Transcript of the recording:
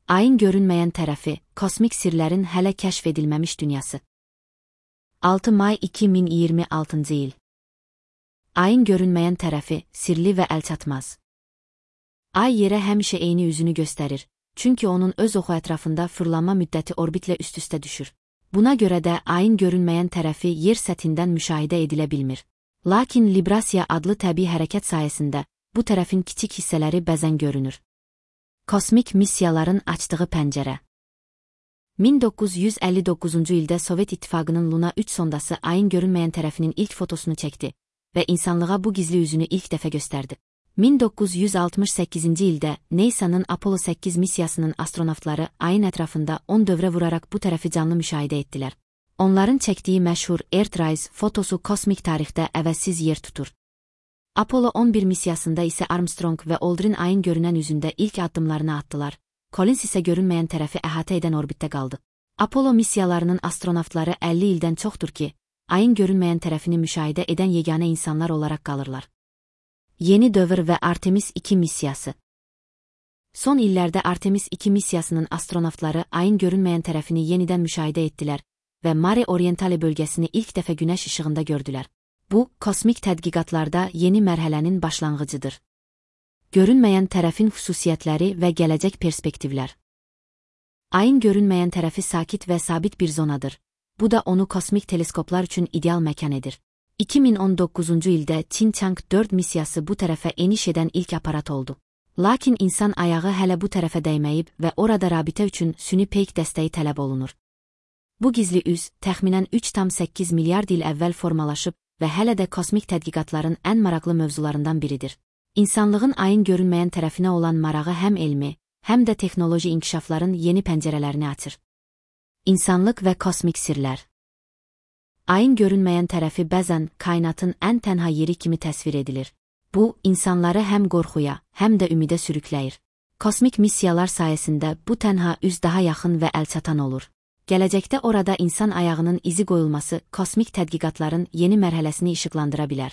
Ayın görünməyən tərəfi, kosmik sirlərin hələ kəşf edilməmiş dünyası. 6 may 2026-cı il. Ayın görünməyən tərəfi, sirli və əlçatmaz. Ay yerə həmişə eyni üzünü göstərir, çünki onun öz oxu ətrafında fırlanma müddəti orbitlə üst-üstə düşür. Buna görə də ayın görünməyən tərəfi yer səthindən müşahidə edilə bilmir. Lakin librasiya adlı təbii hərəkət sayəsində bu tərəfin kiçik hissələri bəzən görünür. Kosmik missiyaların açdığı pəncərə. 1959-cu ildə Sovet İttifaqının Luna 3 sondası ayın görünməyən tərəfinin ilk fotosunu çəkdi və insanlığa bu gizli üzünü ilk dəfə göstərdi. 1968-ci ildə NASA'nın Apollo 8 missiyasının astronavtları ayın ətrafında 10 dövrə vuraraq bu tərəfi canlı müşahidə etdilər. Onların çəkdiyi məşhur Earthrise fotosu kosmik tarixdə əvəzsiz yer tutur. Apollo 11 missiyasında isə Armstrong və Aldrin ayın görünən üzündə ilk addımlarını atdılar. Collins isə görünməyən tərəfi əhatə edən orbitdə qaldı. Apollo missiyalarının astronavtları 50 ildən çoxdur ki, ayın görünməyən tərəfini müşahidə edən yeganə insanlar olaraq qalırlar. Yeni dövr və Artemis 2 missiyası. Son illərdə Artemis 2 missiyasının astronavtları ayın görünməyən tərəfini yenidən müşahidə etdilər və Mare Orientale bölgəsini ilk dəfə günəş işığında gördülər. Bu, kosmik tədqiqatlarda yeni mərhələnin başlanğıcıdır. Görünməyən tərəfin xüsusiyyətləri və gələcək perspektivlər. Ayın görünməyən tərəfi sakit və sabit bir zonadır. Bu da onu kosmik teleskoplar üçün ideal məkan edir. 2019-cu ildə Çin Chang 4 missiyası bu tərəfə eniş edən ilk aparat oldu. Lakin insan ayağı hələ bu tərəfə dəyməyib və orada rabitə üçün süni peyk dəstəyi tələb olunur. Bu gizli üz, təxminən 3,8 milyard il əvvəl formalaşıb və hələ də kosmik tədqiqatların ən maraqlı mövzularından biridir. İnsanlığın ayın görünməyən tərəfinə olan marağı həm elmi, həm də texnoloji inkişafların yeni pəncərələrini açır. İnsanlıq və kosmik sirlər. Ayın görünməyən tərəfi bəzən kainatın ən tənha yeri kimi təsvir edilir. Bu, insanları həm qorxuya, həm də ümidə sürükləyir. Kosmik missiyalar sayəsində bu tənha üz daha yaxın və əlçatan olur. Gələcəkdə orada insan ayağının izi qoyulması kosmik tədqiqatların yeni mərhələsini işıqlandıra bilər.